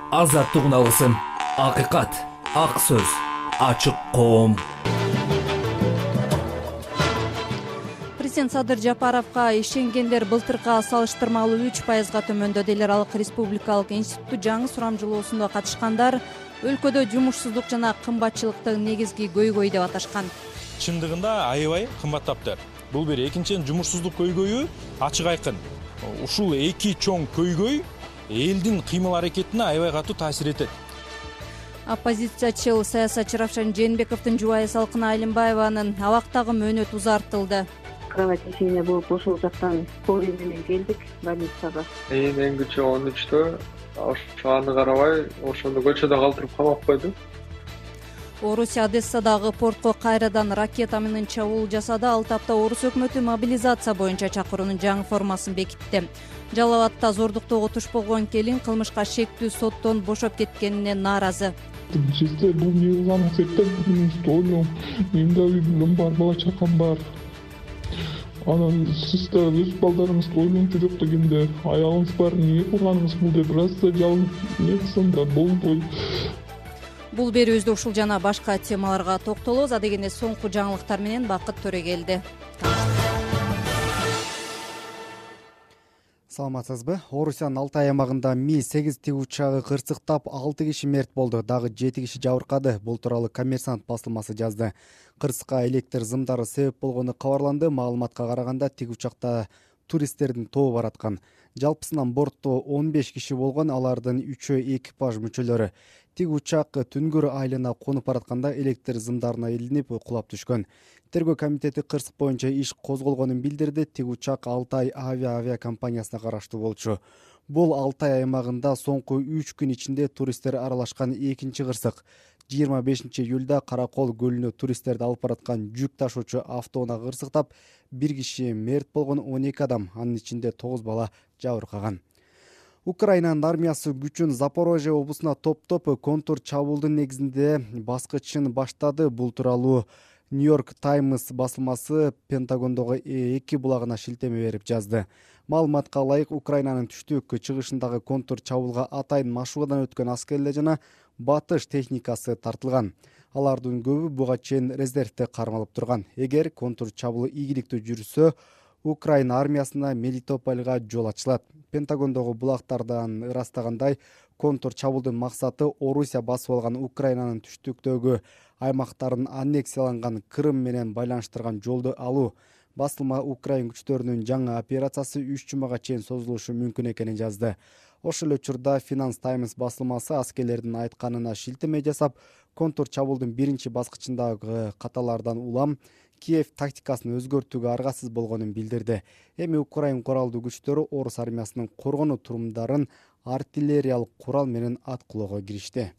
Азаттык алысын, акыйкат, ак сөз, ачык коом. Президент Садыр Жапаровго ишенгендер былтыркыга салыштырмалуу 3%га төмөндөдү. Эл аралык республикалык институтту жаңы сурамжылоосунда катышкандар өлкөдө жумушсуздук жана кымбатчылыктын негизги көйгөйү деп аташкан. Чындыгында аябай кымбаттаптыр. Бул бир. Экинчиден, жумушсуздук көйгөйү ачык айкын. Ушул эки чоң көйгөй элдин кыймыл аракетине аябай катуу таасир этет. Оппозициячыл саясатчы Равшан Жээнбековдун жубайы Салкына Алимбаеванын абактагы мөөнөтү узартылды. Кровотечение болуп ошол жактан скорый менен келдик больницага. Эң күчү 13-тө. Аны карабай ошондо көчөдө калтырып камап койду. Орусия Одессадагы портко кайрадан ракета менен чабуул жасады. Ал тапта Орус өкмөтү мобилизация боюнча чакыруунун жаңы формасын бекитти. Жалал Абадта зордуктоого туш болгон келин кылмышка шектүү соттон бошоп кеткенине нааразы. Сизде бул эмне кылганыңыз деп ойлойм. Менде үйүм бар, бала чакам бар. Анан сиз да өз балдарыңызды ойлончу жок дегенде, аялыңыз бар, эмне кылганыңыз бул деп разы жалын эмне кылсам да болбой. Бул берүүбүздө ушул жана башка темаларга токтолобуз. Адегенде соңку жаңылыктар менен Бакыт Төрөгелди. Саламатсызбы? Орусиянын Алтай аймагында Ми-8 тиг учагы кырсыктап 6 киши мерт болду, дагы 7 киши жабыркады. Бул тууралуу Коммерсант басылмасы жазды. Кырсыкка электр зымдары себеп болгону кабарланды. Маалыматка караганда тиг учакта туристтердин тобу бараткан. Жалпысынан бортто 15 киши болгон, алардын 3-өө экипаж мүчөлөрү. Тиг учак Түнгөр айылына конуп баратканда электр зымдарына илинип кулап түшкөн. Тергөө комитети кырсык боюнча иш козголгонун билдирди. Тиг учак Алтай авиакомпаниясына караштуу болчу. Бул Алтай аймагында соңку 3 күн ичинде туристтер аралашкан экинчи кырсык. 25-июлда Каракол көлүнө туристтерди алып бараткан жүк ташуучу автоунаа кырсыктап, 1 киши мерт болгон, 12 адам, анын ичинде 9 бала жабыркаган. Украинанын армиясы күчүн Запорожье облусуна топтоп контур чабуулдун негизинде баскычын баштады. Бул тууралуу Нью-Йорк Таймс басылмасы Пентагондогу эки булагына шилтеме берип жазды. Маалыматка ылайык, Украинанын түштүк чыгышындагы контур чабуулга атайын машыгуудан өткөн аскерлер жана батыш техникасы тартылган. Алардын көбү буга чейин резервде кармалып турган. Эгер контур чабуулу ийгиликтүү жүрсө, Украина армиясына Мелитопольга жол ачылат. Пентагондогу булактардан ырастагандай, контур чабуулдун максаты Орусия басып алган Украинанын түштүктөгү аймактарын аннексияланган Крым менен байланыштырган жолду алуу. Басылма Украин күчтөрүнүн жаңы операциясы 3 жумага чейин созулушу мүмкүн экенин жазды. Ошол эле учурда Finance Times басылмасы аскерлердин айтканына шилтеме жасап, контур чабуулдун биринчи баскычындагы каталардан улам Киев тактикасын өзгөртүүгө аргасыз болгонун билдирди. Эми Украин куралдуу күчтөрү Орус армиясынын коргонуу турумдарын артиллериялык курал менен аткылоого киришти.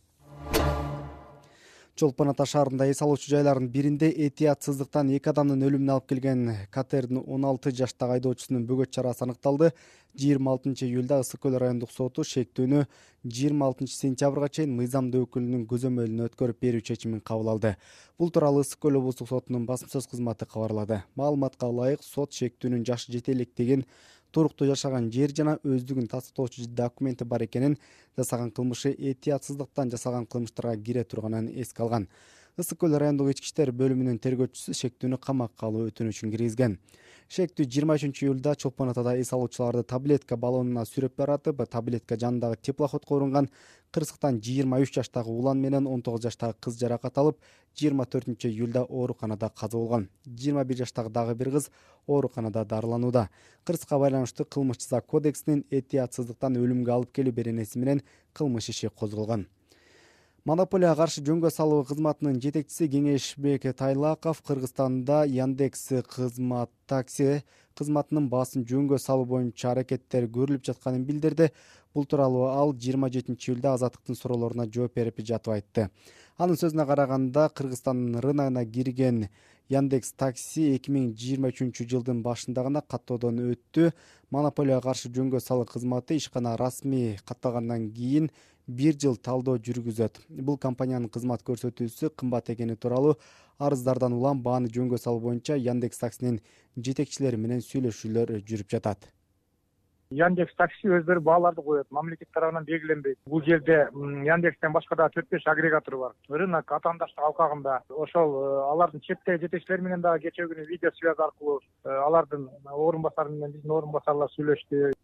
Чолпон Ата шаарында эс алуучу жайлардын биринде этиятсыздыктан 2 адамдын өлүмүнө алып келген катердин 16 жаштагы айдоочусунун бөгөт чарасы аныкталды. 26-июлда Ысык көл райондук соту шектүүнү 26-сентябрга чейин мыйзамдуу өкүлүнүн көзөмөлүнө өткөрүп берүү чечимин кабыл алды. Бул тууралуу Ысык көл облустук сотунун басма сөз кызматы кабарлады. Маалыматка ылайык, сот шектүүнүн жашы жете электигин, туруктуу жашаган жер жана өздүгүн тастыктоочу документи бар экенин, жасаган кылмышы этиятсыздыктан жасалган кылмыштарга кире турганын эске алган. Ысык көл райондук ички иштер бөлүмүнүн тергөөчүсү шектүүнү камакка алуу өтүнүчүн киргизген. Шектүү 23-июлда Чолпон Атада эс алуучуларды таблетка баллонуна сүрөп баратып, таблетка жанындагы теплоходко урунган. Кырсыктан 23 жаштагы улан менен 19 жаштагы кыз жаракат алып, 24-июлда ооруканада каза болгон. 21 жаштагы дагы бир кыз ооруканада дарыланууда. Кырсыкка байланыштуу кылмыш жаза кодексинин этиятсыздыктан өлүмгө алып келүү беренеси менен кылмыш иши козголгон. Монополияга каршы жөнгө салуу кызматынын жетекчиси Кеңешбек Тайлаков Кыргызстанда Яндекс кызмат такси кызматынын баасын жөнгө салуу боюнча аракеттер көрүлүп жатканын билдирди. Бул тууралуу ал 27-июлда Азаттыктын суроолоруна жооп берип жатып айтты. Анын сөзүнө караганда, Кыргызстандын рыногуна кирген Яндекс такси 2023-жылдын башында гана каттоодон өттү. Монополияга каршы жөнгө салуу кызматы ишкана расмий катталгандан кийин 1 жыл талдоо жүргүзөт. Бул компаниянын кызмат көрсөтүүсү кымбат экени тууралуу арыздардан улам бааны жөнгө салуу боюнча Яндекс таксинин жетекчилери менен сүйлөшүүлөр жүрүп жатат. Яндекс такси өздөрү бааларды коет, мамлекет тарабынан белгиленбейт. Бул жерде Яндекстен башка да 4-5 агрегатор бар. Рынок атаандаштык алкагында ошол алардын четтеги жетекчилери менен дагы кечээ күнү видео связь аркылуу алардын орун басары менен биздин орун басарлар сүйлөштү.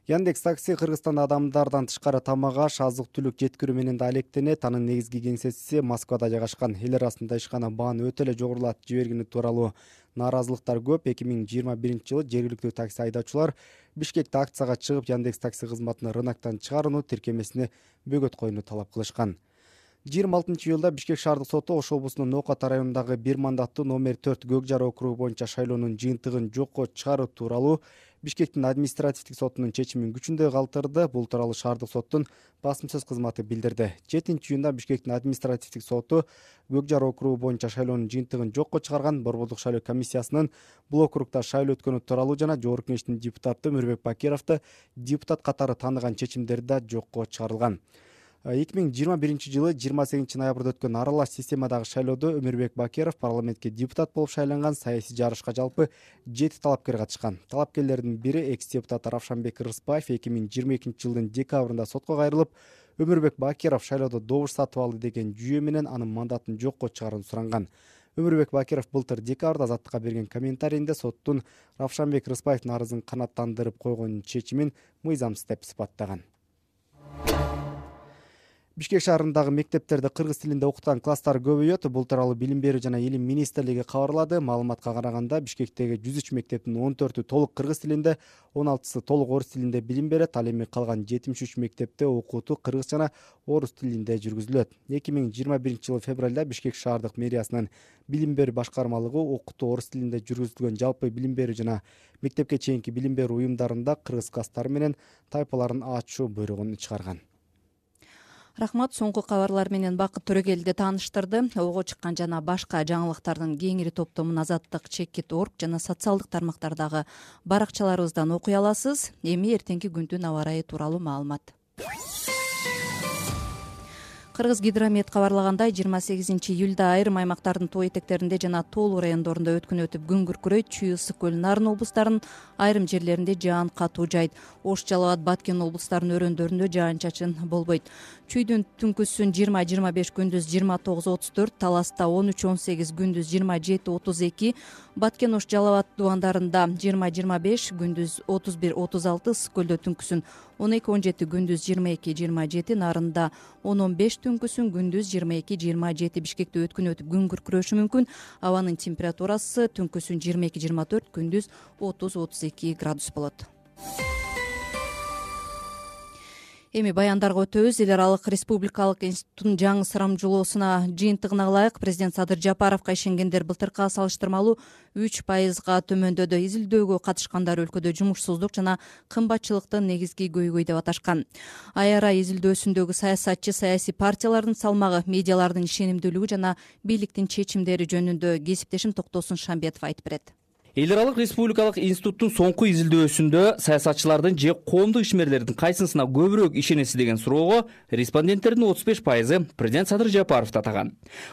Яндекс такси Кыргызстанда адамдардан тышкары тамак аш, азык-түлүк жеткирүү менен да алектенет. Анын негизги кеңсеси Москвада жайгашкан. Эл арасында ишкана бааны өтө эле жогорулатып жибергени тууралуу нааразылыктар көп. 2021-жылы жергиликтүү такси айдоочулар Бишкекте акцияга чыгып, Яндекс такси кызматын рыноктон чыгарууну, тиркемесине бөгөт коюуну талап кылышкан. 26-июлда Бишкек шаардык соту Ош облусунун Нокат районундагы бир мандаттуу номер 4 Көкжар округу боюнча шайлоонун жыйынтыгын жокко чыгаруу тууралуу Бишкектин административдик сотунун чечимин күчүндө калтырды. Бул тууралуу шаардык соттун басым сөз кызматы билдирди. 7-июнда Бишкектин административдик соту Көкжар округу боюнча шайлоонун жыйынтыгын жокко чыгарган. Борбордук шайлоо комиссиясынын бул округда шайлоо өткөнү тууралуу жана Жогорку Кеңештин депутаты Өмүрбек Бакировду депутат катары тааныган чечимдери да жокко чыгарылган. 2021-жылы 28 ноябрда өткөн аралаш системадагы шайлоодо Өмүрбек Бакиров парламентке депутат болуп шайланган. Саясий жарышка жалпы 7 талапкер катышкан. Талапкерлердин бири экс-депутат Равшанбек Рыспаев 2022-жылдын декабрында сотко кайрылып, Өмүрбек Бакиров шайлоодо добуш сатып алды деген жүйө менен анын мандатын жокко чыгаруун суранган. Өмүрбек Бакиров былтыр декабрда Азаттыкка берген комментарийинде соттун Равшанбек Рыспаевдин арызын канааттандырып койгон чечимин мыйзамсыз деп сыпаттаган. Бишкек шаарындагы мектептерде кыргыз тилинде окутган класстар көбөйөт. Бул тууралуу Билим берүү жана Илим министрлиги кабарлады. Маалыматка караганда Бишкектеги 103 мектептин 14-ү толук кыргыз тилинде, 16-сы толук орус тилинде билим берет. Ал эми калган 73 мектепте окутуу кыргыз жана орус тилинде жүргүзүлөт. 2021-жылы февралда Бишкек шаардык мэриясынын билим берүү башкармалыгы окутуу орус тилинде жүргүзүлгөн жалпы билим берүү жана мектепке чейинки билим берүү уюмдарында кыргыз класстары менен тайпаларын ачуу буйругун чыгарган. Рахмат, соңку кабарлар менен Бакыт Төрөгелди тааныштырды. Ого чыккан жана башка жаңылыктардын кеңири топтомун Азаттык, Чекит.org жана социалдык тармактардагы баракчаларыбыздан окуй аласыз. Эми эртеңки күндүн аба ырайы тууралуу маалымат. Кыргыз Гидромет кабарлагандай 28-июлда айрым аймактардын тоо этектеринде жана тоолуу райондорунда өткүн өтүп күн күркүрөйт. Чүй, ысык көл, Нарын облустарынын айрым жерлеринде жаан катуу жайт. Ош, Жалал Абад, Баткен облустарынын өрөөндөрүндө жаан-чачын болбойт. Чүйдүн түнкүсүн 20-25, күндүз 29-34, Таласта 13-18, күндүз 27-32, Баткен, Ош, Жалал Абад дубандарында 20-25, күндүз 31-36, ысык көлдө түнкүсүн 12-17, күндүз 22-27, Нарында 10-15, түнкүсүн күндүз 22-27. Бишкекте өткүн өтүп күн күркүрөшү мүмкүн. Абанын температурасы түнкүсүн 22-24, күндүз 30-32 градус болот. Эми баяндарга өтөбүз. Эл аралык республикалык институттун жаңы сурамжылоосуна жыйынтыгына ылайык президент Садыр Жапаровго ишенгендер былтыркыга салыштырмалуу 3% төмөндөдү. Изилдөөгө катышкандар өлкөдө жумушсуздук жана кымбатчылыктын негизги көйгөй деп аташкан. АЯРА изилдөөсүндөгү саясатчы саясий партиялардын салмагы, медиалардын ишенимдүүлүгү жана бийликтин чечимдери жөнүндө кесиптешим Токтосун Шамбетов айтып берет. Эл аралык республикалык институттун соңку изилдөөсүндө саясатчылардын же коомдук ишмерлердин кайсынысына көбүрөөк ишенесиз деген суроого респонденттердин 35% президент Садыр Жапаров татаган.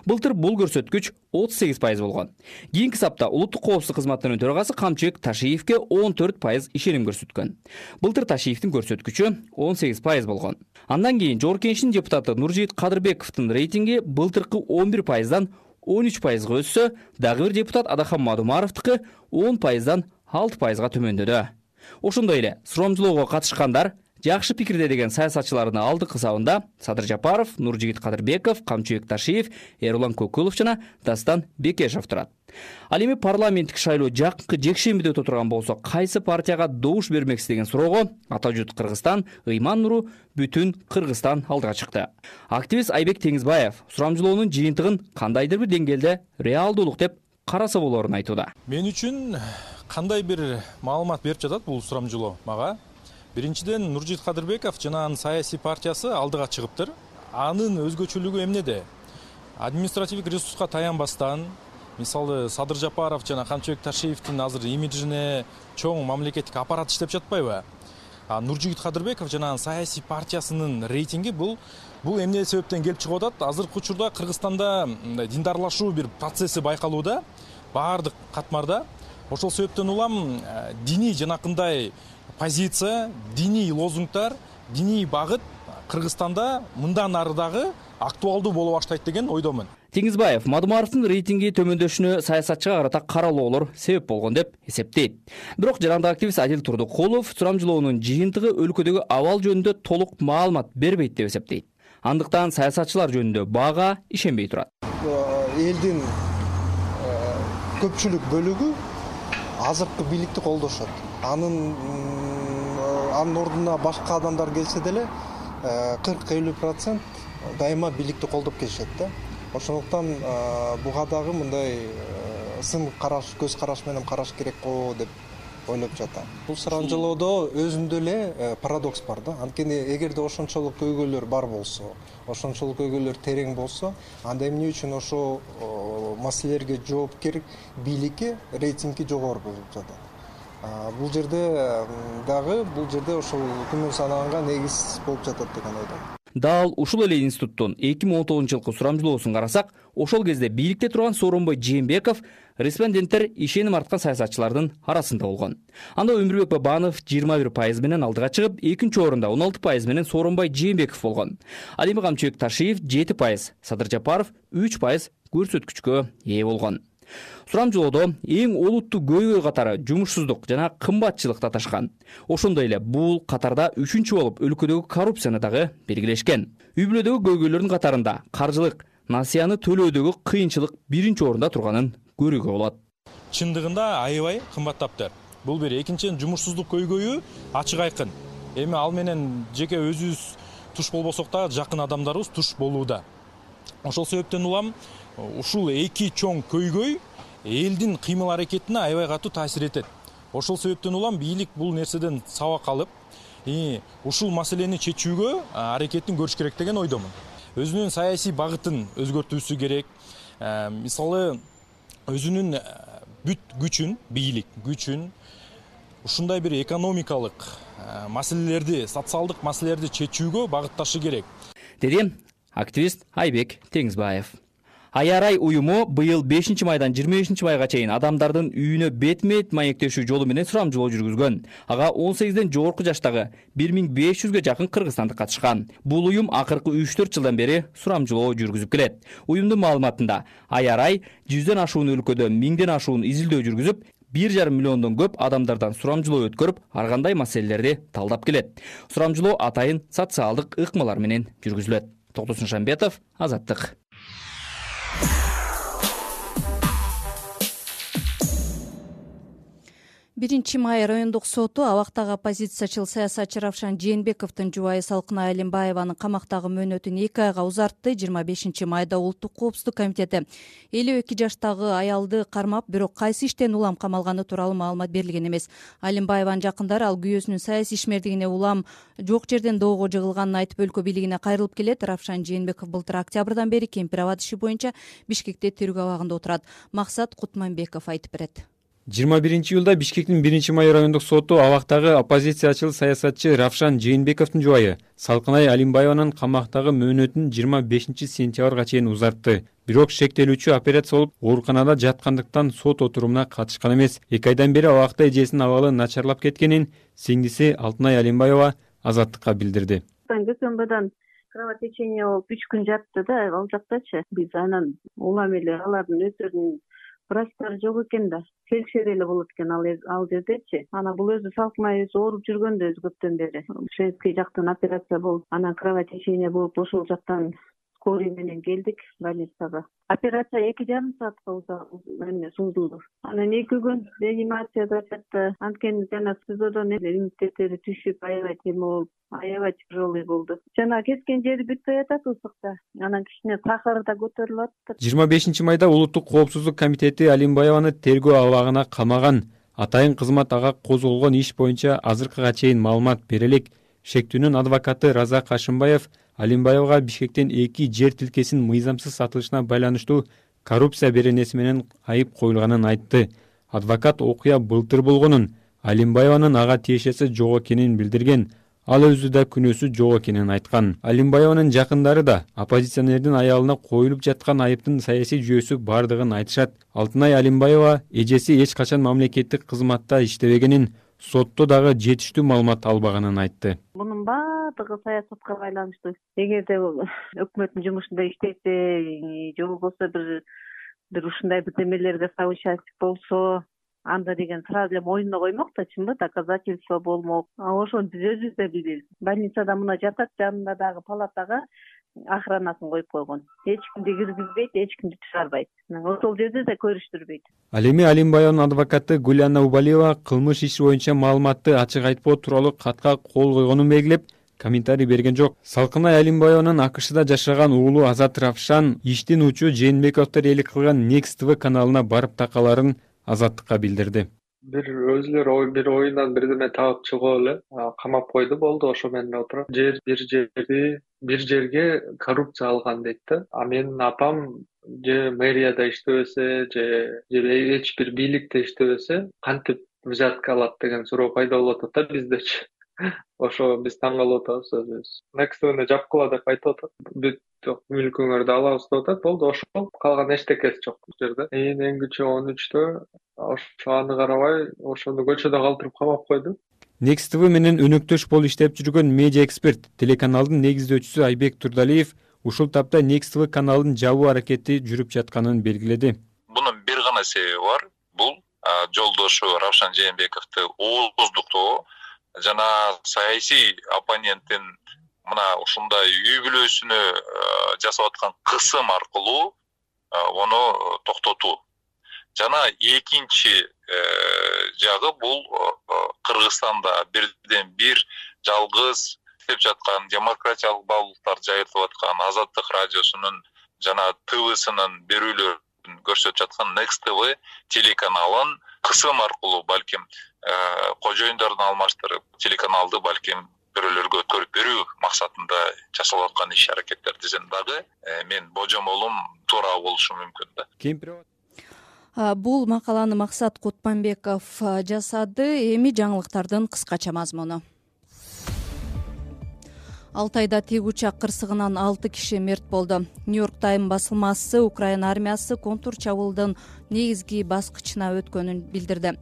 Былтыр бул көрсөткүч 38% болгон. Кийинки сапта улуттук коопсуздук кызматынын төрагасы Камчыбек Ташиевке 14% ишеним көрсөткөн. Былтыр Ташиевдин көрсөткүчү 18% болгон. Андан кийин Жогорку Кеңештин депутаты Нуржигит Кадырбековдун рейтинги былтыркы 11%дан 13%га өссө, дагы бир депутат Адахан Мадумаровдуку 10%дан 6%га төмөндөдү. Ошондой эле сурамжылоого катышкандар жакшы пикирде деген саясатчылардын алдыңкы сабында Садыр Жапаров, Нуржигит Кадырбеков, Камчыбек Ташиев, Эрулан Көкүлов жана Дастан Бекешев турат. Ал эми парламенттик шайлоо жакынкы жекшембиде өтө турган болсо, кайсы партияга добуш бермексиз деген суроого Атажут Кыргызстан, Ыйман Нуру Бүтүн Кыргызстан алдыга чыкты. Активист Айбек Теңизбаев сурамжылоонун жыйынтыгын кандайдыр бир деңгээлде реалдуулук деп караса болоорун айтууда. Мен үчүн кандай бир маалымат берип жатат бул сурамжылоо мага? Биринчиден, Нуржигит Кадырбеков жана анын саясий партиясы алдыга чыгыптыр. Анын өзгөчөлүгү эмнеде? Административдик ресурска таянбастан, мисалы Садыр Жапаров жана Камчыбек Ташиевдин азыр имиджине чоң мамлекеттик аппарат иштеп жатпайбы? Нуржигит Кадырбеков жана анын саясий партиясынын рейтинги бул эмне себептен келип чыгып атат? Азыркы учурда Кыргызстанда диндарлашуу бир процесси байкалууда, баардык катмарда. Ошол себептен улам диний жанакындай позиция, диний лозунгдар, диний багыт Кыргызстанда мындан ары дагы актуалдуу боло баштайт деген ойдомун. Теңизбаев Мадумаровдун рейтинги төмөндөшүнө саясатчыга карата каралоолор себеп болгон деп эсептейт. Бирок жарандык активист Адил Турдукулов сурамжылоонун жыйынтыгы өлкөдөгү абал жөнүндө толук маалымат бербейт деп эсептейт. Андыктан саясатчылар жөнүндө бага ишенбей турат. Элдин көпчүлүк бөлүгү азыркы бийликти колдошот. Анын ордуна башка адамдар келсе деле 40-50% дайыма бийликти колдоп келишет да. Ошондуктан буга дагы мындай сын караш, көз караш менен караш керек го деп ойлоп жатам. Бул сурамжылоодо өзүндө эле парадокс бар да. Анткени эгерде ошончолук көйгөйлөр бар болсо, ошончолук көйгөйлөр терең болсо, анда эмне үчүн ошо маселелерге жоопкер бийликке рейтинги жогору болуп жатат. Бул жерде ошол күмөн санаганга негиз болуп жатат деген ойдомун. Дал ушул эле институттун 2019-жылкы сурамжылоосун карасак, ошол кезде бийликте турган Сооронбай Жээнбеков респонденттер ишеним арткан саясатчылардын арасында болгон. Анда Өмүрбек Бабанов 21% менен алдыга чыгып, экинчи орунда 16% менен Сооронбай Жээнбеков болгон. Ал эми Камчыбек Ташиев 7%, Садыр Жапаров 3% көрсөткүчкө ээ болгон. Сурамжылоодо эң олуттуу көйгөй катары жумушсуздук жана кымбатчылык таташкан. Ошондой эле бул катарда 3-чү болуп өлкөдөгү коррупцияны дагы белгилешкен. Үй бүлөдөгү көйгөйлөрдүн катарында каржылык, насыяны төлөөдөгү кыйынчылык 1-чи орунда турганын көрүүгө болот. Чындыгында аябай кымбаттаптыр. Бул бир. Экинчиден, жумушсуздук көйгөйү ачык айкын. Эми ал менен жеке өзүбүз туш болбосок да жакын адамдарыбыз туш болууда. Ошол себептен улам ушул эки чоң көйгөй элдин кыймыл аракетине аябай катуу таасир этет. Ошол себептен улам бийлик бул нерседен сабак алып, ушул маселени чечүүгө аракетин көрүш керек деген ойдомун. Өзүнүн саясий багытын өзгөртүүсү керек. Мисалы өзүнүн бүт күчүн, бийлик күчүн ушундай бир экономикалык маселелерди, социалдык маселелерди чечүүгө багытташы керек, деди активист Айбек Теңизбаев. Аярай уюму быйыл 5-майдан 25-майга чейин адамдардын үйүнө бетме-бет маектешүү жолу менен сурамжылоо жүргүзгөн. Ага 18ден жогорку жаштагы 1500ге жакын кыргызстандык катышкан. Бул уюм акыркы 3-4 жылдан бери сурамжылоо жүргүзүп келет. Уюмдун маалыматында Аярай 100ден ашуун өлкөдө 1000ден ашуун изилдөө жүргүзүп, 1,5 миллиондон көп адамдардан сурамжылоо өткөрүп, ар кандай маселелерди талдап келет. Сурамжылоо атайын социалдык ыкмалар менен жүргүзүлөт. Токтосун Шамбетов, Азаттык. 1-май райондук соту абактагы оппозициячыл саясатчы Равшан Жээнбековдун жубайы Салкынай Алимбаеванын камактагы мөөнөтүн 2 айга узартты. 25-майда Улуттук коопсуздук комитети 52 жаштагы аялды кармап, бирок кайсы иштен улам камалганы тууралуу маалымат берилген эмес. Алимбаеванын жакындары ал күйөөсүнүн саясий ишмердигине улам жок жерден доого жыгылганын айтып өлкө бийлигине кайрылып келет. Равшан Жээнбеков былтыр октябрдан бери Кемпир Абад иши боюнча Бишкекте тергөө абагында отурат. Максат Кутманбеков айтып берет. 21-июлда Бишкектин 1-май райондук соту абактагы оппозициячыл саясатчы Равшан Жээнбековдун жубайы Салкынай Алимбаеванын камактагы мөөнөтүн 25-сентябрга чейин узартты. Бирок шектелүүчү операция болуп, ооруканада жаткандыктан сот отурумуна катышкан эмес. 2 айдан бери абакта эжесинин абалы начарлап кеткенин сиңдиси Алтынай Алимбаева Азаттыкка билдирди. Дүйшөмбүдөн кровотечение болуп 3 күн жатты да, ал жактачы. Биз анан улам эле алардын өздөрүнүн врачтары жок экен да, фельдшер эле болот экен ал жердечи. Анан бул өзү Салкынай өзү ооруп жүргөндө өзү көптөн бери. Шеский жактан операция болуп, анан кровотечение болуп, ошол жактан скорый менен келдик больницага. Операция 2,5 саатка созулду. Анан 2 күн реанимацияда жатты. Анткени жана СИЗОдон иммунитеттери түшүп, аябай тема болуп, аябай тяжелый болду. Жана kesкен жери бүтпөй атат ысыкта. Анан кичине сахары да көтөрүлүп атты. 25-майда Улуттук коопсуздук комитети Алимбаеваны тергөө абагына камаган. Атайын кызмат ага козголгон иш боюнча азыркыга чейин маалымат берелик. Шектүүнүн адвокаты Раза Кашымбаев Алимбаевга Бишкектен 2 жер тилкесин мыйзамсыз сатылышына байланыштуу коррупция беренеси менен айып коюлганын айтты. Адвокат окуя былтыр болгонун, Алимбаеванын ага тиешеси жок экенин билдирген. Ал өзү да күнөөсү жок экенин айткан. Алимбаеванын жакындары да оппозиционердин аялына коюлуп жаткан айыптын саясий жүйөсү бардыгын айтышат. Алтынай Алимбаева эжеси эч качан мамлекеттик кызматта иштебегенин, сотто дагы жетиштүү маалымат албаганын айтты. Мунун баардыгы саясатка байланыштуу. Эгерде өкмөттүн жумушунда иштесе, же болбосо бир ушундай бирдемелерге соучастник болсо, анда деген сразу эле мойнуна коймок да, чынбы, доказательство болмок. Ошону биз өзүбүз да билебиз. Больницада мына жатат, жанында дагы палатага охранасын коюп койгон. Эч кимди киргизбейт, эч кимди чыгарбайт. Ошол жерде да көрүштүрбөйт. Ал эми Алимбаеванын адвокаты Гүлана Убалиева кылмыш иши боюнча маалыматты ачык айтпоо тууралуу катка кол койгонун белгилеп, комментарий берген жок. Салкынай Алимбаеванын АКШда жашаган уулу Азат Равшан иштин учу Жээнбековдор ээлик кылган Next TV каналына барып такаларын Азаттыкка билдирди. Бир өзүлөр бир оюндан бирдеме таап чыгып эле камап койду, болду, ошо менен отуруп. Бир жерге коррупция алган дейт да. А менин апам же мэрияда иштебесе, же эч бир бийликте иштебесе, кантип взятка алат деген суроо пайда болуп атат да биздечи. Ошо биз таң калып атабыз өзүбүз. Next TV'ни жапкыла деп айтып атат. Бүт мүлкүңөрдү алабыз деп атат. Болду, ошол калган эчтекеси жок бул жерде. Эң күчү 13-тө ошо аны карабай, ошону көчөдө калтырып камап койду. Next TV менен өнөктөш болуп иштеп жүргөн медиа эксперт, телеканалдын негиздөөчүсү Айбек Турдалиев ушул тапта Next TV каналын жабуу аракети жүрүп жатканын белгиледи. Мунун бир гана себеби бар. Бул жолдошу Равшан Жээнбековду ооздуктоо жана саясий оппоненттин мына ушундай үй бүлөсүнө жасап аткан кысым аркылуу ону токтотуу. Жана экинчи жагы бул Кыргызстанда бирден бир жалгыз иштеп жаткан демократиялык баалуулуктар жайылтып аткан Азаттык радиосунун жана ТВсынын берүүлөрүн көрсөтүп жаткан Next TV телеканалын кысым аркылуу балким кожоюндорун алмаштырып, телеканалды балким бирөөлөргө өткөрүп берүү максатында жасалып аткан иш аракеттер десем дагы мен божомолум туура болушу мүмкүн да. Бул макаланы Максат Кутманбеков жасады. Эми жаңылыктардын кыскача мазмуну. Алтайда тик учак кырсыгынан 6 киши мерт болду. Нью-Йорк Тайм басылмасы Украина армиясы контур чабуулдун негизги баскычына өткөнүн билдирди.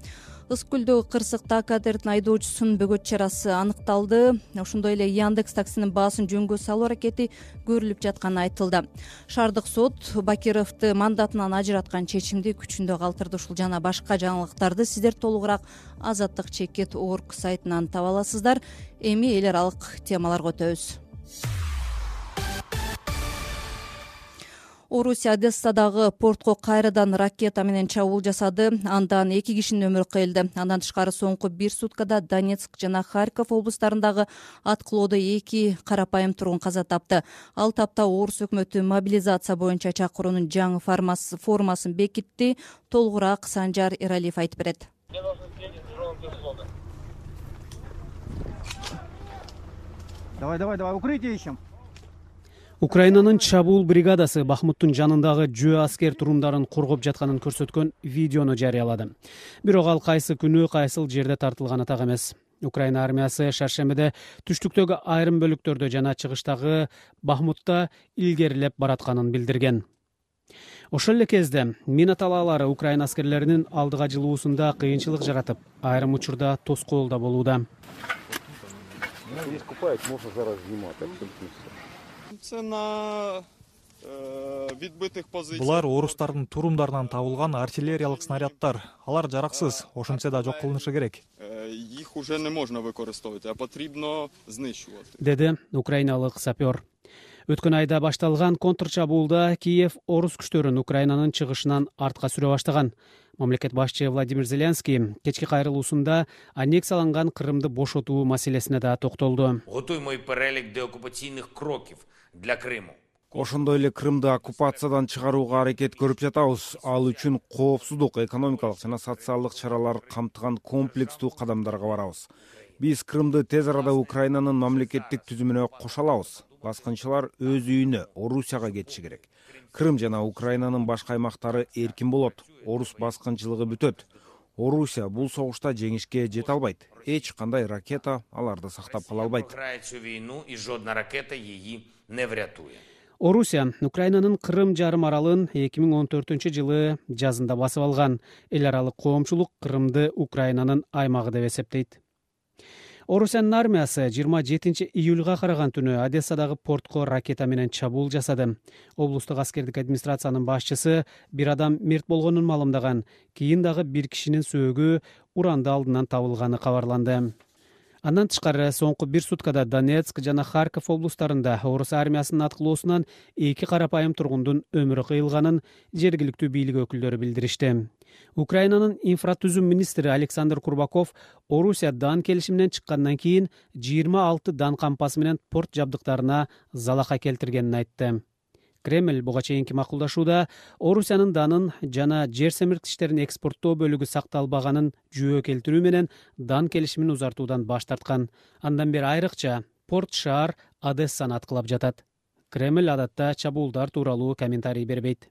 Ыскүлдөгү кырсыкта катердин айдоочусунун бөгөт чарасы аныкталды. Ошондой эле Яндекс таксинин баасын жөнгө салуу аракети көрүлүп жатканы айтылды. Шаардык сот Бакировду мандатынан ажыраткан чечимди күчүндө калтырды. Ушул жана башка жаңылыктарды сиздер толугураак azatdыk.org сайтынан таба аласыздар. Эми эл аралык темаларга өтөбүз. Орусия Одессадагы портко кайрадан ракета менен чабуул жасады. Андан 2 кишинин өмүрү кыйылды. Андан тышкары соңку 1 суткада Донецк жана Харьков облустарындагы аткылоодо 2 карапайым тургун каза тапты. Ал тапта Орус өкмөтү мобилизация боюнча чакыруунун жаңы формасын бекитти. Толугураак Санжар Эралиев айтып берет. Давай, укрытие ищем. Украинанын чабуул бригадасы Бахмуттун жанындагы жөө аскер турумдарын коргоп жатканын көрсөткөн видеону жарыялады. Бирок ал кайсы күнү кайсыл жерде тартылганы так эмес. Украина армиясы шаршембиде түштүктөгү айрым бөлүктөрдө жана чыгыштагы Бахмутта илгерилеп баратканын билдирген. Ошол эле кезде мина талаалары Украина аскерлеринин алдыга жылуусунда кыйынчылык жаратып, айрым учурда тоскоол да болууда. Булар орустардын турумдарынан табылган артиллериялык снаряддар. Алар жараксыз, ошентсе да жок кылынышы керек. Их уже не можно використовувати, а потрібно знищувати. Деди украиналык сапер. Өткөн айда башталган контрчабуулда Киев орус күчтөрүн Украинанын чыгышынан артка сүрө баштаган. Мамлекет башчы Владимир Зеленский кечки кайрылуусунда аннексияланган Крымды бошотуу маселесине да токтолду. Готуймо перелик деоккупацийных кроков для Крыму. Ошондой эле Крымды оккупациядан чыгарууга аракет көрүп жатабыз. Ал үчүн коопсуздук, экономикалык жана социалдык чаралар камтыган комплекстүү кадамдарга барабыз. Биз Крымды тез арада Украинанын мамлекеттик түзүмүнө кошо алабыз. Баскынчылар өз үйүнө, Орусияга кетиши керек. Крым жана Украинанын башка аймактары эркин болот. Орус баскынчылыгы бүтөт. Орусия бул согушта жеңишке жете албайт. Эч кандай ракета аларды сактап кала албайт. Орусия Украинанын Крым жарым аралын 2014-жылы жазында басып алган. Эл аралык коомчулук Крымды Украинанын аймагы деп эсептейт. Орусиянын армиясы 27 июлга караган түнү Одессадагы портко ракета менен чабуул жасады. Облустук аскердик администрациянын башчысы бир адам мерт болгонун маалымдаган. Кийин дагы бир кишинин сөөгү уранды алдынан табылганы кабарланды. Андан тышкары соңку бир суткада Донецк жана Харьков облустарында орус армиясынын аткылоосунан 2 карапайым тургундун өмүрү кыйылганын жергиликтүү бийлик өкүлдөрү билдиришти. Украинанын инфратүзүм министри Александр Курбаков Орусия дан келишиминен чыккандан кийин 26 дан кампасы менен порт жабдыктарына залака келтиргенин айтты. Кремль буга чейинки макулдашууда Орусиянын данын жана жер семирткичтерин экспорттоо бөлүгү сакталбаганын жүйө келтирүү менен дан келишимин узартуудан баш тарткан. Андан бери айрыкча порт шаар Одессаны аткылап жатат. Кремль адатта чабуулдар тууралуу комментарий бербейт.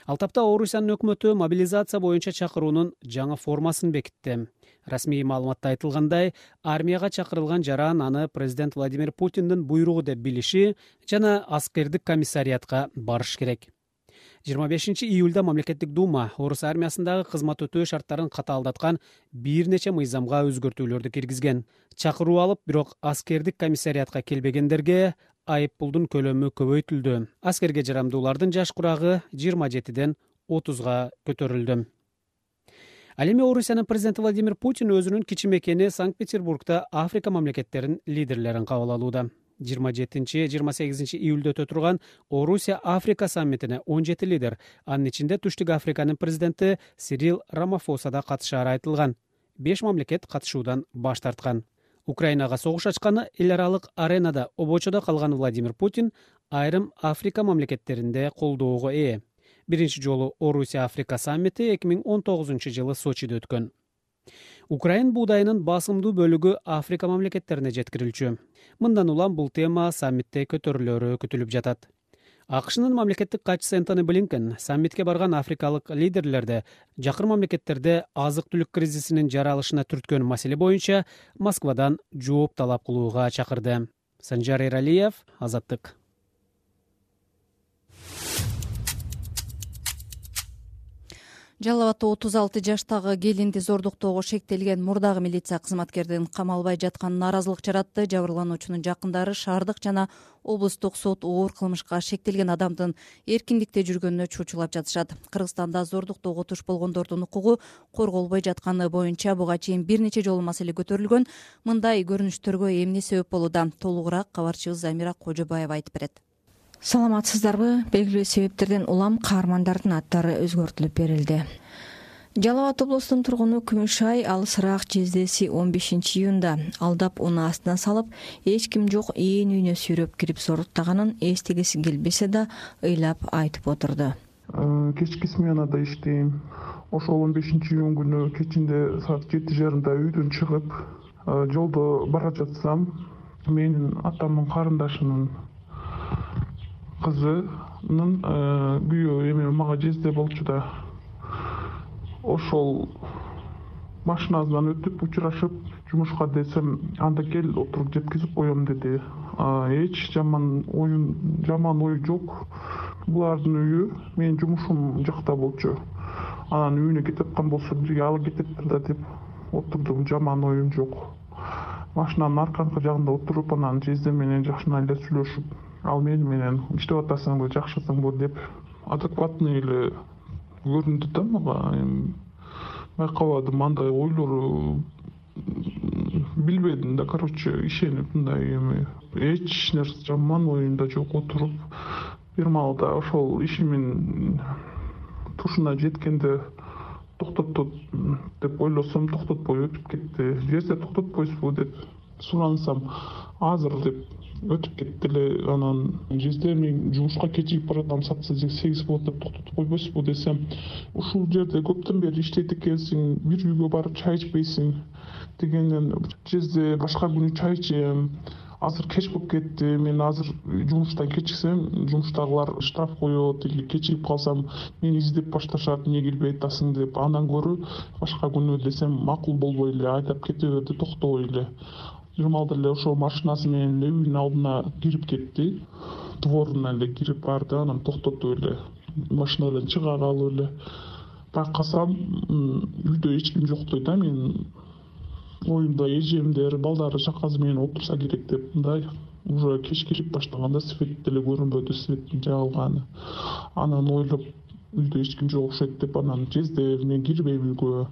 Ал тапта Орусиянын өкмөтү мобилизация боюнча чакыруунун жаңы формасын бекитти. Расмий маалыматта айтылгандай, армияга чакырылган жаран аны президент Владимир Путиндин буйругу деп билиши жана аскердик комиссариатка барыш керек. 25 июлда мамлекеттик дума орус армиясындагы кызмат өтөө шарттарын катаалдаткан бир нече мыйзамга өзгөртүүлөрдү киргизген. Чакыруу алып, бирок аскердик комиссариатка келбегендерге айып пулдун көлөмү көбөйтүлдү. Аскерге жарамдуулардын жаш курагы 27ден 30га көтөрүлдү. Ал эми Орусиянын президенти Владимир Путин өзүнүн кичи мекени Санкт-Петербургда Африка мамлекеттеринин лидерлерин кабыл алууда. 27-28 июлда өтө турган Орусия Африка саммитине 17 лидер, анын ичинде Түштүк Африканын президенти Сирил Рамафоса да катышаары айтылган. 5 мамлекет катышуудан баш тарткан. Украинага согуш ачканы эл аралык аренада обочодо калган Владимир Путин айрым Африка мамлекеттеринде колдоого ээ. Биринчи жолу Орусия Африка саммити 2019-жылы Сочиде өткөн. Украин буудайынын басымдуу бөлүгү Африка мамлекеттерине жеткирилчү. Мындан улам бул тема саммитте көтөрүлөрү күтүлүп жатат. АКШнын мамлекеттик катчысы Энтони Блинкен саммитке барган африкалык лидерлерди жакын мамлекеттерде азык-түлүк кризисинин жаралышына түрткөн маселе боюнча Москвадан жооп талап кылууга чакырды. Санжар Эралиев, Азаттык. Жалал Абадта 36 жаштагы келинди зордуктоого шектелген мурдагы милиция кызматкердин камалбай жатканына нааразылык жаратты. Жабырлануучунун жакындары шаардык жана облустук сот оор кылмышка шектелген адамдын эркиндикте жүргөнүнө чучулап жатышат. Кыргызстанда зордуктоого туш болгондордун укугу корголбой жатканы боюнча буга чейин бир нече жолу маселе көтөрүлгөн. Мындай көрүнүштөргө эмне себеп болууда? Толугураак кабарчыбыз Замира Кожобаева айтып берет. Саламатсыздарбы? Белгилүү себептерден улам каармандардын аттары өзгөртүлүп берилди. Жалал Абад облусунун тургуну Күмүшай алысыраак жездеси 15 июнда алдап уну астына салып, эч ким жок ээн үйүнө сүйрөп кирип зоруктаганын эстегиси келбесе да ыйлап айтып отурду. Кечки сменада иштейм. Ошол 15 июнь күнү кечинде саат 7:30 үйдөн чыгып, жолдо бара жатсам, менин атамдын карындашынын кызынын күйөө эме мага жезде болчу да. Ошол машинасынан өтүп учурашып жумушка десем, анда кел отуруп жеткизип коем деди. Эч жаман ою жок. Булардын үйү менин жумушум жакта болчу. Анан үйүнө кетип аткан болсо бирге алып кетиптир да деп отурдум. Жаман оюм жок. Машинанын арканкы жагында отуруп, анан жезде менен жакшына эле сүйлөшүп, ал менен иштеп атасыңбы, жакшысыңбы деп адекватный эле көрүндү да мага. Байкабадым, андай ойлору билбедим да, ишенип мындай эме. Эч нерсе жаман оюмда жок. Отуруп бир маалда ошол ишимин тушуна жеткенде токтотот деп ойлосом, токтотпой өтүп кетти. Жезде токтотпойсузбу деп сурансам, азыр деп өтүп кетти эле. Анан жезде мен жумушка кечигип баратам, саат 8 болот деп токтотуп койбойсузбу десем, ушул жерде көптөн бери иштейт экенсиң, бир үйгө барып чай ичпейсиң дегенден, жезде башка күнү чай ичем. Азыр кеч болуп кетти. Мен азыр жумуштан кечиксем, жумуштагылар штраф коет, или кечигип калсам мени издеп башташат, эмне келбей атасың деп. Андан көрү башка күнү десем макул болбой эле айдап кете берди, токтобой эле. Журмалда эле ошол машинасы менен эле үйүнүн алдына кирип кетти. дворуна эле кирип барды, анан токтотуп эле машинадан чыга калып эле байкасам үйдө эч ким жок да. Мен оюмда эжемдер, балдары шакасы менен отурса керек деп мындай уже кеч кирип баштаганда свет деле көрүнбөдү, светтин жагылганы. Анан ойлоп үйдө эч ким жок окшойт деп анан кезде мен кирбейм үйгө.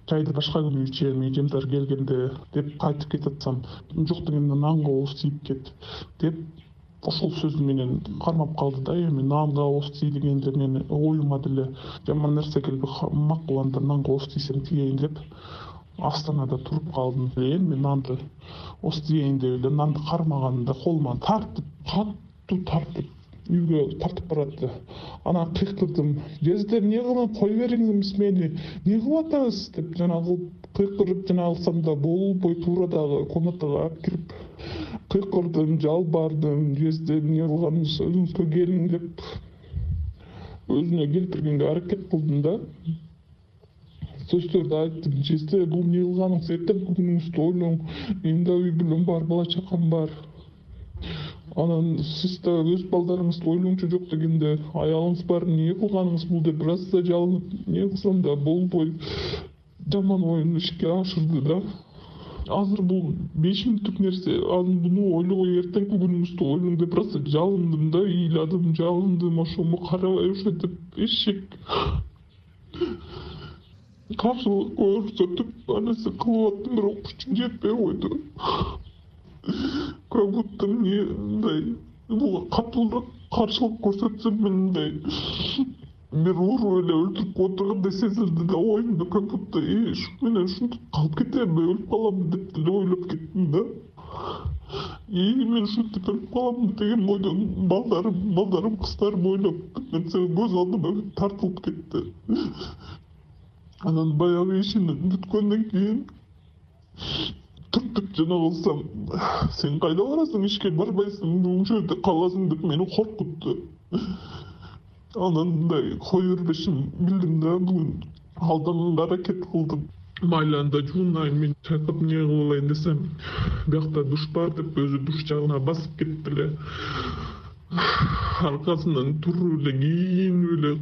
Чайды башка күнү ичем, эжемдер келгенде деп кайтып кетатсам, жок дегенде нанга ооз тийип кет деп ошол сөзү менен кармап калды да. Эми нанга ооз тий дегенде мен оюма деле жаман нерсе келип макул анда нанга ооз тийсең тиейин деп астанада туруп калдым. Эми нанды ооз тиейин деп эле нанды кармаганымда колума тартып, катуу тартып үйгө тартып баратты. Анан кыйкырдым: "Жездер, эмне кылып кой бериңиз мени, эмне кылып атасыз?" деп жанагы кыйкырып алсам да болбой туура дагы комнатага алып кирип кыйкырдым, жалбардым: "Жездер, эмне кылганыңыз, өзүңүзгө келиң" деп өзүнө келтиргенге аракет кылдым да. Сөздөрдү айттым: "Жездер, бул эмне кылганыңыз, эртеңки күнүңүздү ойлоң, менин да үй бүлөм бар, бала чакам бар. Анан сиз да өз балдарыңызды ойлоңчу, жок дегенде аялыңыз бар, эмне кылганыңыз бул" деп бир аз да жалынып, эмне кылсам да болбой жаман оюн ишке ашырды да. Азыр бул 5 мүнөттүк нерсе, буну ойлобой эртеңки күнүңүздү ойлоң деп бир аз жалындым да, ыйладым, жалындым, ошону карабай ошо деп эшек каршылык көрсөтүп ар нерсе кылып аттым, бирок күчүм жетпей койду. Как будто мне мындай буга катуураак каршылык көрсөтсөм мен мындай бир уруп эле өлтүрүп отургандай сезилди да оюмда, как будто ушу менен ушинтип калып кетемби, өлүп каламбы деп деле ойлоп кеттим да. Мен ушинтип өлүп каламбы деген ойдон балдарым, кыздарым ойлоп нерсе көз алдыма тартылып кетти. Анан баягы ишин бүткөндөн кийин түртүп жана кылсам: "Сен кайда барасың, ишке барбайсың, ушул жерде каласың" деп мени коркутту. Анан мындай кое бербешин билдим да, бүгүн алданганга аракет кылдым. Майли анда жуунайын, мен чайкап эмне кылып алайын десем, биякта душ бар деп өзү душ жагына басып кетип эле аркасынан туруп эле кийинип эле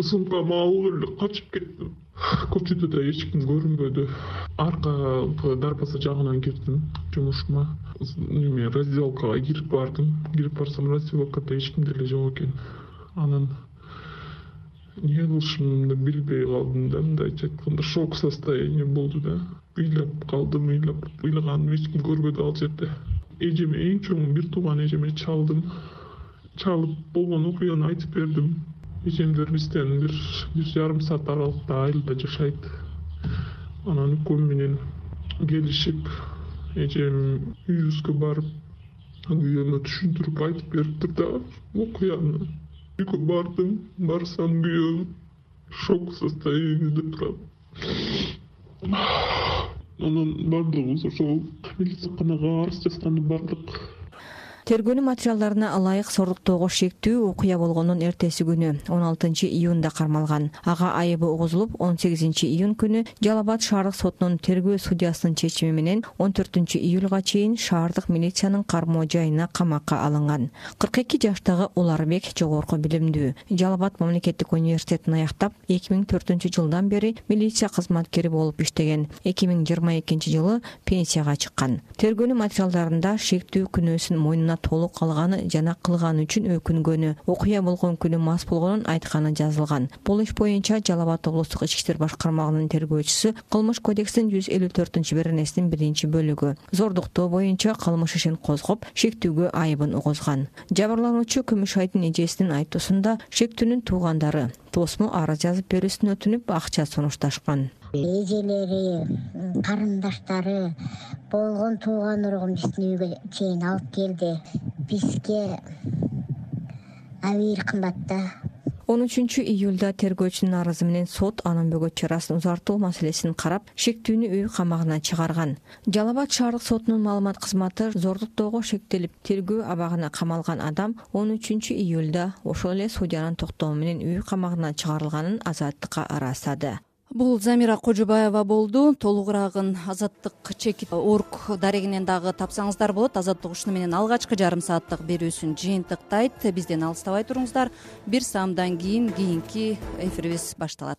сумкамды алып эле качып кеттим. Көчөдө да эч ким көрүнбөдү. Арка дарбаза жагынан кирдим жумушума. Неме раздевалкага кирип бардым. Кирип барсам, раздевалкада эч ким деле жок экен. Анан эмне кылышымды билбей калдым да, мындайча айтканда шок состояние болду да. Ыйлап калдым, ыйлаганым эч ким көрбөдү ал жерде. Эжеме, эң чоң бир тууган эжеме чалдым. Чалып болгон окуяны айтып бердим. Эжемдер бизден бир жарым саат аралыкта айылда жашайт. Анан экөөм менен келишип, эжем үйүбүзгө барып, күйөөмө түшүндүрүп айтып бериптир да окуяны. Үйгө бардым, барсам күйөөм шок состояниеде турат. Анан бардыгыбыз ошол милицияканага арыз жазганы бардык. Тергөөнүн материалдарына ылайык сордуктоого шектүү окуя болгондун эртеси күнү 16 июнда кармалган. Ага айыбы угузулуп, 18 июнь күнү Жалал Абад шаардык сотунун тергөө судьясынын чечими менен 14 июлга чейин шаардык милициянын кармоо жайына камакка алынган. 42 жаштагы Уларбек жогорку билимдүү. Жалал Абад мамлекеттик университетин аяктап, 2004 жылдан бери милиция кызматкери болуп иштеген. 2022 жылы пенсияга чыккан. Тергөөнүн материалдарында шектүү күнөөсүн мойнуна толук алганы жана кылганы үчүн өкүнгөнү, окуя болгон күнү мас болгонун айтканы жазылган. Бул иш боюнча Жалал Абад облустук ички иштер башкармагынын тергөөчүсү Кылмыш кодексинин 154-беренесинин 1-бөлүгү зордуктоо боюнча кылмыш ишин козгоп, шектүүгө айыбын угузган. Жабырлануучу Күмүшайдын эжесинин айтуусунда шектүүнүн туугандары тосмо арыз жазып берүүсүн өтүнүп, акча сунушташкан. Эжелери, карындаштары болгон тууган ургун биздин үйгө чейин алып келди. Бизге абийир кымбат да. 13 июлда тергөөчүнүн арызы менен сот анын бөгөт чарасын узартуу маселесин карап, шектүүнү үй камагына чыгарган. Жалал Абад шаардык сотунун маалымат кызматы зордуктоого шектелип, тергөө абагына камалган адам 13 июлда ошол эле судьянын токтому менен үй камагына чыгарылганын азаттыкка ырастады. Бул Замира Кожобаева болду. Толугураагын Азаттык чекит орг дарегинен дагы тапсаңыздар болот. Азаттык ушуну менен алгачкы жарым сааттык берүүсүн жыйынтыктайт. Бизден алыстабай туруңуздар. 1 саамдан кийин кийинки эфирибиз башталат.